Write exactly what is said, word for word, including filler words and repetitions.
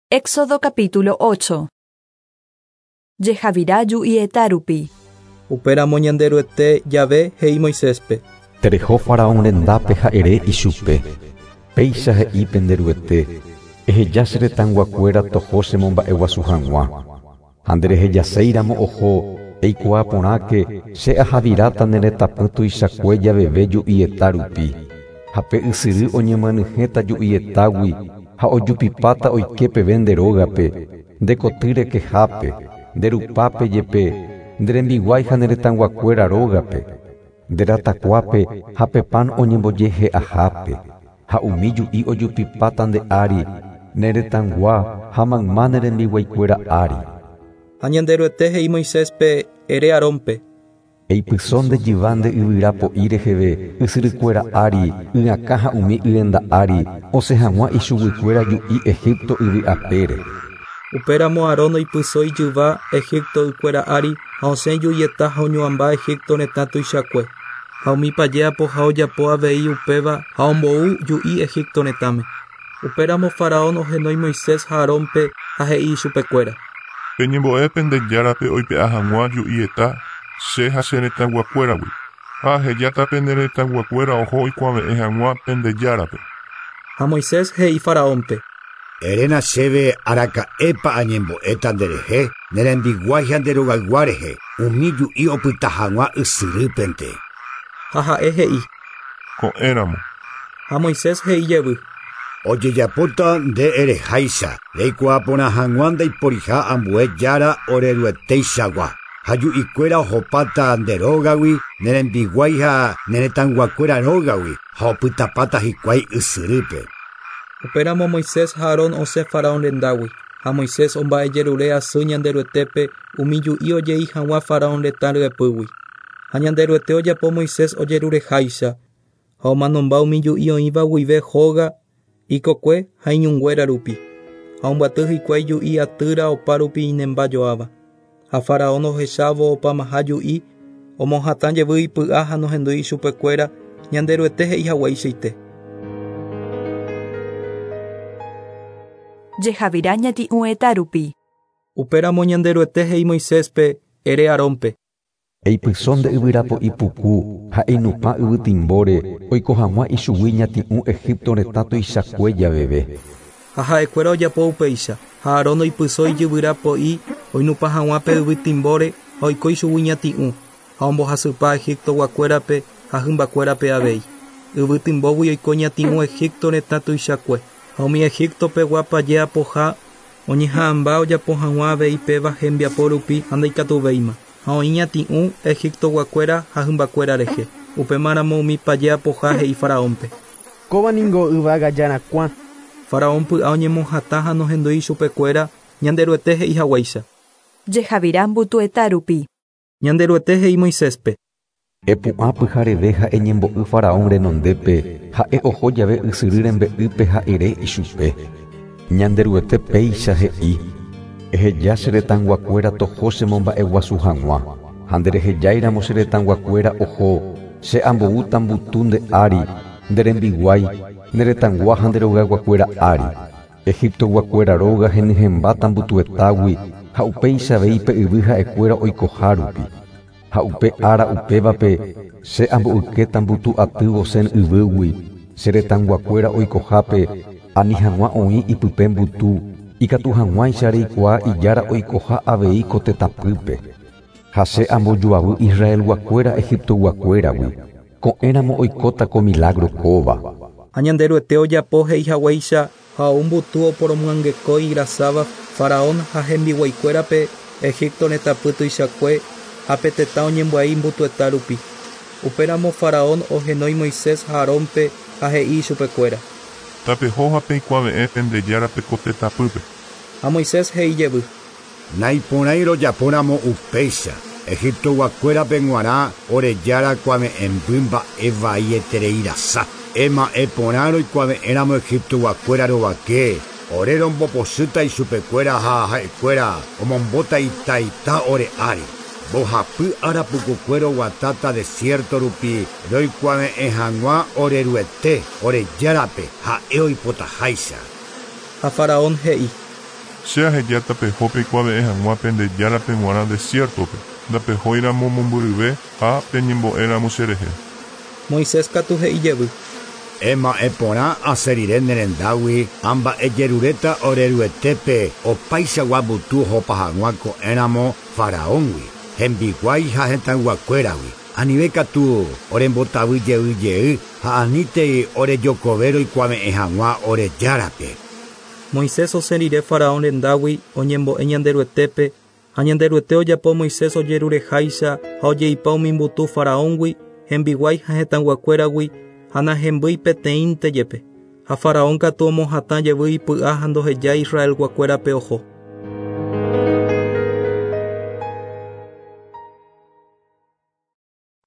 Éxodo capítulo ocho. Jehavira ju'ieta rupi. Upéramo Ñanderuete Yahvé he'i Moiséspe. Tereho faraón rendápe ha ere ichupe. Péicha he'i penderuete. Eheja che retãyguakuéra toho chemomba'eguasu hag̃ua. Ha nderehejaséiramo oho eikuaa porãke che ahaviráta ne retãpy tuichakue javeve ju'ieta rupi. Ha pe ysyry oñemyanyhẽta ju'ietágui ha ojupipáta oike peve nde rógape, nde koty rekehápe, nde rupápe jepe, nde rembiguái ha ne retãyguakuéra rógape, nde ratakuápe ha pe pan oñembojehe'ahápe, ha umi ju'i ojupipáta nde ári, ne retãygua ha mayma ne rembiguaikuéra ári. Ha Ñanderuete he'i Moiséspe ere Aarónpe. Eipyso nde jyva nde yvyra po'i reheve ysyrykuéra ári, y'akã ha umi y'enda ári, osẽ hag̃ua ichuguikuéra ju'i Egipto yvy apére. Upéramo Aarón oipyso ijyva Egipto ykuéra ári ha osẽ ju'ieta ha oñuãmba Egipto retã tuichakue. Ha umi paje apoha ojapo avei upéva ha ombou ju'i Egipto retãme. Upéramo Faraón ohenói Moisés ha Aarónpe ha he'i ichupekuéra. Peñembo'e pendejárape oipe'a hag̃ua ju'ieta che ha che retãyguakuéragui. Ha ahejáta pende retãyguakuéra oho oikuave'ẽ hag̃ua pendejárape. Ha Moisés he'i Faraónpe. Eréna chéve araka'épa añembo'éta nderehe, ne rembiguái ha nde rogaygua rehe, umi ju'i opyta hag̃ua ysyrýpente. Ha ha'e he'i. Ko'ẽramo. Ha Moisés he'i jevy. Ojejapóta nde ereháicha, reikuaa porã hag̃ua ndaiporiha ambue jára orerueteichagua. Ha ju'ikuéra ohopáta nde rógagui, ne rembiguái ha ne retãyguakuéra rógagui, ha opytapáta hikuái ysyrýpe. Upéramo Moisés ha Aarón osẽ Faraón rendágui. Ha Moisés omba'ejerure asy Ñanderuetépe umi ju'i ojei hag̃ua Faraón retã ryepýgui. Ha Ñanderuete ojapo Moisés ojerureháicha, ha omanomba umi ju'i oĩva guive hóga, ikokue ha iñunguéra rupi. Ha ombyaty hikuái ju'i atýra opa rupi inembajoáva. Ha Faraón ohechávo opamaha ju'i, omohatã jevy ipy'a ha nohendúi ichupekuéra Ñanderuete he'i hagueichaite. Jehavira ñati'ũeta rupi. Upéramo Ñanderuete he'i Moiséspe ere Aarónpe. Eipyso nde yvyra po'i puku ha einupã yvytimbóre oiko hag̃ua ichugui ñati'ũ Egipto retã tuichakue javeve. Ha ha'ekuéra ojapo upéicha, ha Aarón oipyso ijyvyra po'i oinupã hag̃ua pe yvytimbóre ha oiko ichugui ñati'ũ, ha ombohasypa Egiptoguakuérape ha hymbakuérape avei. Yvytimbógui oiko ñati'ũ Egipto retã tuichakue. Ha umi Egiptopegua paje apoha oñeha'ãmba ojapo hag̃ua avei péva hembiapo rupi ha ndaikatuvéima. Ha oĩ ñati'ũ Egiptoguakuéra ha hymbakuéra rehe. Upémaramo umi paje apoha he'i Faraónpe. Kóva ningo yvága jarakuã. Faraón py'a oñemohatã ha nohendúi ichupekuéra Ñanderuete he'i haguéicha. Jehavira mbutueta rupi. Ñanderuete he'i Moiséspe. Epu'ã pyhareve ha eñembo'y Faraón renondépe, ha'e oho jave ysyry rembe'ýpe ha ere ichupe. Ñanderuete péicha he'i. Eheja che retãyguakuéra toho chemomba'eguasu hag̃ua. Ha nderehejáiramo che retãyguakuéra oho, che amboúta mbutu nde ári, nde rembiguái, ne retãygua ha nde rogayguakuéra ári. Egiptoguakuéra róga henyhẽmbáta mbutuetágui ha upéicha avei pe yvy ha'ekuéra oikoha rupi. Ha upe ára upévape che amboykéta mbutu aty Gosén yvýgui, che retãyguakuéra oikohápe, ani hag̃ua oĩ ipype mbutu, ikatu hag̃uáicha reikuaa ijára oikoha avei ko tetãpýpe. Ha che ambojoavy Israelguakuéra Egiptoguakuéragui. Ko'ẽramo oikóta ko milagro kóva. Ha Ñanderuete ojapo he'i haguéicha ha ou mbutu oporomyangekói irasáva Faraón ha hembiguaikuérape Egipto retãpy tuichakue ha pe tetã oñembyai mbutueta rupi. Upéramo Faraón ohenói Moisés ha Aarónpe ha he'i ichupekuéra. Tapeho ha peikuave'ẽ pendejárape ko tetãpýpe. Ha Moisés he'i jevy. Naiporãi rojapóramo upéicha. Egiptoguakuérape g̃uarã orejára kuave'ẽmby mba'e vaietereirasa. Ema'ẽporã roikuave'ẽramo Egiptoguakuéra rovake, ore rombopochýta ichupekuéra ha ha'ekuéra omombóta itaita ore ári. Mbohapy ára pukukuéra oguatáta desierto rupi roikuave'ẽ hag̃ua oreruete orejárape ha'e oipotaháicha. Ha Faraón he'i. Che ahejáta peho peikuave'ẽ hag̃ua pende járape g̃uarã desierto-pe, ndapehóiramo mombyryve ha peñembo'éramo cherehe. Moisés katu he'i jevy. Ema'ẽ porã asẽ rire ne rendágui amba'ejeruréta oreruetépe opaichagua mbutu ohopa hag̃ua ko'ẽramo Faraóngui, hembiguái ha hetãyguakuéragui. Anive katu orembotavy jey jey ha anítei orejokove roikuave'ẽ hag̃ua ore járape. Moisés osẽ rire Faraón rendágui oñembo'e Ñanderuetépe ha Ñanderuete ojapo Moisés ojerureháicha ha ojeipa umi mbutu Faraóngui, hembiguái ha hetãyguakuéragui ha nahembýi peteĩnte jepe. Ha Faraón katu omohatã jevy ipy'a ha ndohejái Israelguakuérape oho.